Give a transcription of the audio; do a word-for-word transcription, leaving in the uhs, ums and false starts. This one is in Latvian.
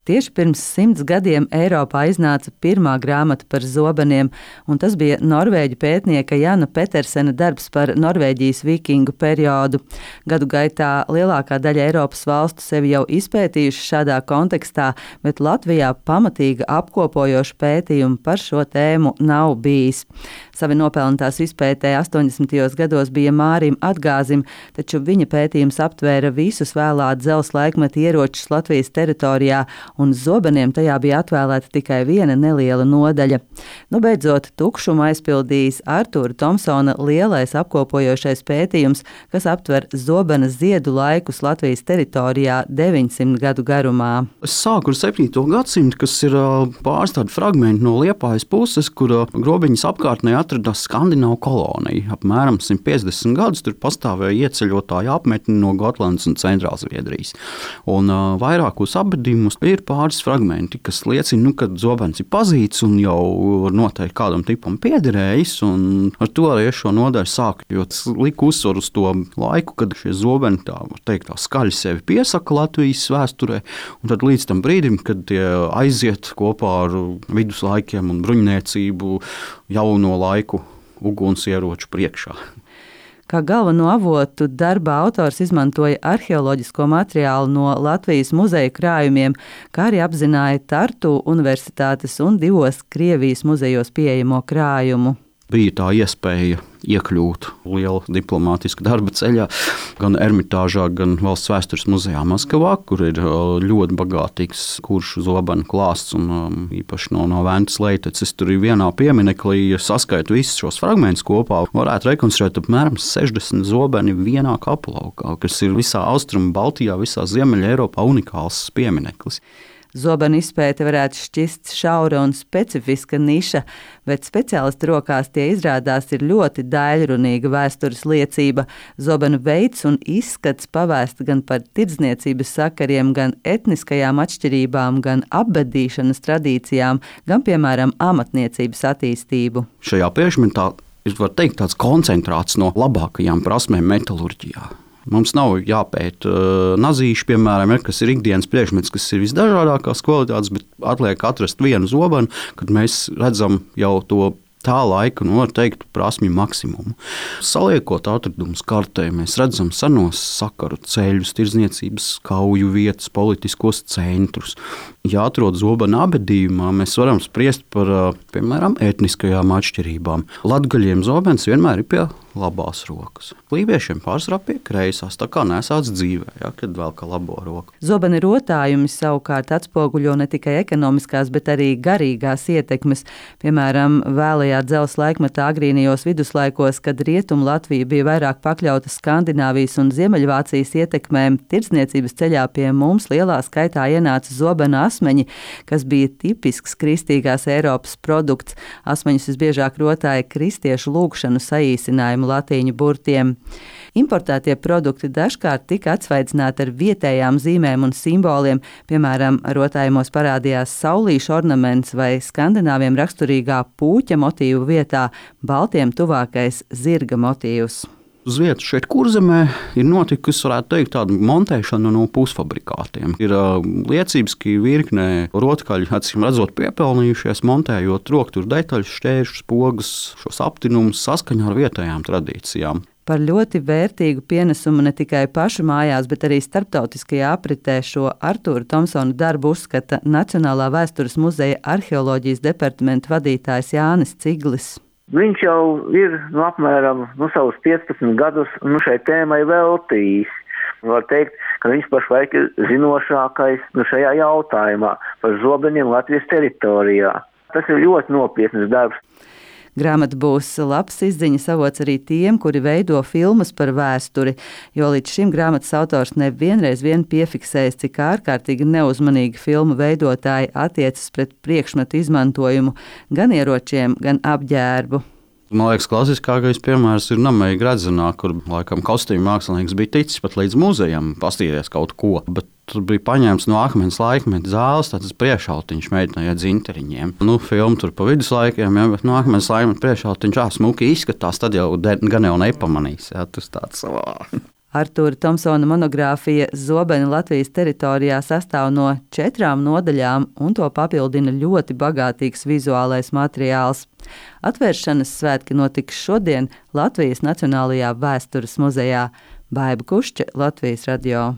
Tieši pirms simts gadiem Eiropā iznāca pirmā grāmata par zobeniem, un tas bija norvēģu pētnieka Jana Petersena darbs par Norvēģijas vikingu periodu. Gadu gaitā lielākā daļa Eiropas valstu sevi jau izpētījuši šādā kontekstā, bet Latvijā pamatīga apkopojoša pētījuma par šo tēmu nav bijis. Savi nopelni tās izpētē astoņdesmitajos gados bija Mārim Atgāzim, taču viņa pētījums aptvēra visus vēlā dzelzs laikmeta ieročus Latvijas teritorijā, un zobeniem tajā bija atvēlēta tikai viena neliela nodaļa. Nu, beidzot, tukšumu aizpildījis Artūra Tomsona lielais apkopojošais pētījums, kas aptver zobena ziedu laikus Latvijas teritorijā deviņsimt gadu garumā. Es sāku ar septīto gadsimtu, kas ir pāris tādi fragmenti no Liepājas puses, kur Grobiņas apkārtnē atradās skandināvu kolonija. Apmēram simt piecdesmit gadus tur pastāvēja ieceļotāju apmetni no Gotlandes un Centrālzviedrijas. Un uh, vairākos apbedījumus ir pāris fragmenti, kas liecina, nu, ka zobens ir pazīts un jau noteikti kādam tipam piederējis. Un ar to arī šo nodaļu sāku, jo tas lika uzsvaru uz to laiku, kad šie zobeni tā, var teikt, tā skaļi sevi piesaka Latvijas vēsturē. Un tad līdz tam brīdim, kad tie aiziet kopā ar viduslaikiem un bruņniecību jauno laiku ugunsieroču priekšā. Kā galveno avotu darba autors izmantoja arheoloģisko materiālu no Latvijas muzeju krājumiem, kā arī apzināja Tartu Universitātes un divos Krievijas muzejos pieejamo krājumu. Bija tā iespēja iekļūt liela diplomātiska darba ceļā, gan Ermitāžā, gan Valsts vēstures muzejā Maskavā, kur ir ļoti bagātīgs kuršu zobenu klāsts un um, īpaši no, no Ventas Leiteces. Tur ir vienā piemineklī, ja saskaitu visus šos fragmentus kopā, varētu rekonstruēt apmēram sešdesmit zobeni vienā kapulaukā, kas ir visā Austrumu Baltijā, visā Ziemeļa Eiropā unikāls piemineklis. Zobenu izpēte varētu šķist šaura un specifiska niša, bet speciālistu rokās tie izrādās ir ļoti daļrunīga vēstures liecība. Zobenu veids un izskats pavēsta gan par tirdzniecības sakariem, gan etniskajām atšķirībām, gan apbedīšanas tradīcijām, gan, piemēram, amatniecības attīstību. Šajā priekšmetā ir, var teikt, tāds koncentrāts no labākajām prasmēm metalurģijā. Mums nav jāpēta uh, nazīši, piemēram, ja, kas ir ikdienas priekšmets, kas ir visdažādākās kvalitātes, bet atliek atrast vienu zobenu, kad mēs redzam jau to tā laika, nu, var teikt, prasmju maksimumu. Saliekot atradumus kartē, mēs redzam senos sakaru ceļus, tirdzniecības kauju vietas, politiskos centrus. Ja atrod zobena abedījumā, mēs varam spriest par, piemēram, etniskajām atšķirībām. Latgaļiem zobens vienmēr ir pie labās rokas. Lībiešiem pārsvarā pie kreisās, tā kā nesāc dzīvē, ja, kad vēl kā labo roku. Zobeni rotājumi savukārt atspoguļo ne tikai ekonomiskās, bet arī garīgās ietekmes. Piemēram, vēlajā dzelzs laikmetā agrīnijos viduslaikos, kad Rietumu Latvija bija vairāk pakļauta Skandināvijas un Ziemeļvācijas ietekmēm, tirdzniecības ceļā pie mums lielā skaitā ienāca zobena asmeņi, kas bija tipisks kristīgās Eiropas produkts. Asmeņus visbiežāk rotāja kristiešu lūgšanu saīsinājumu latīņu burtiem. Importētie produkti dažkārt tika atsvaidzināti ar vietējām zīmēm un simboliem, piemēram, rotājumos parādījās saulīšu ornaments vai skandināviem raksturīgā pūķa motīvu vietā baltiem tuvākais zirga motīvs. Uz vietas šeit Kurzemē ir notikusi, varētu teikt, tāda montēšana no pusfabrikātiem. Ir uh, liecības, ka virknē rotkaļi, acīm redzot, piepelnījušies, montējot roktuvu detaļas, šķēršus, pogas, šos aptinumus saskaņā ar vietējām tradīcijām. Par ļoti vērtīgu pienesumu ne tikai pašu mājās, bet arī starptautiskajā apritē šo Artūra Tomsona darbu uzskata Nacionālā vēstures muzeja arheoloģijas departamenta vadītājs Jānis Ciglis. Viņš jau ir nu, apmēram nu, savus piecpadsmit gadus nu, šai tēmai veltījis. Var teikt, ka viņš pašlaik ir zinošākais nu, šajā jautājumā par zobeniem Latvijas teritorijā. Tas ir ļoti nopietns darbs. Grāmata būs labs izziņas avots arī tiem, kuri veido filmas par vēsturi, jo līdz šim grāmatas autors nevienreiz vien piefiksējis, cik ārkārtīgi neuzmanīgi filmu veidotāji attiecas pret priekšmetu izmantojumu gan ieročiem, gan apģērbu. Man liekas, klasiskākais piemērs ir Nameja Gredzenā, kur laikam kostīmu mākslinieks bija ticis pat līdz muzejam pastīties kaut ko, bet tur bija paņēmts no akmens laikmeta zāles, tāds priekšautiņš meitenei ar dzinteriņiem. Nu, filma tur pa viduslaikiem, ja, bet no akmens laikmeta priekšautiņš ā, smuki izskatās, tad jau de, gan jau nepamanīs. Ja, tas tāds savā. Artūra Tomsona monogrāfija Zobeni Latvijas teritorijā sastāv no četrām nodaļām, un to papildina ļoti bagātīgs vizuālais materiāls. Atvēršanas svētki notiks šodien Latvijas Nacionālajā vēstures muzejā. Baiba Kušķe, Latvijas radio.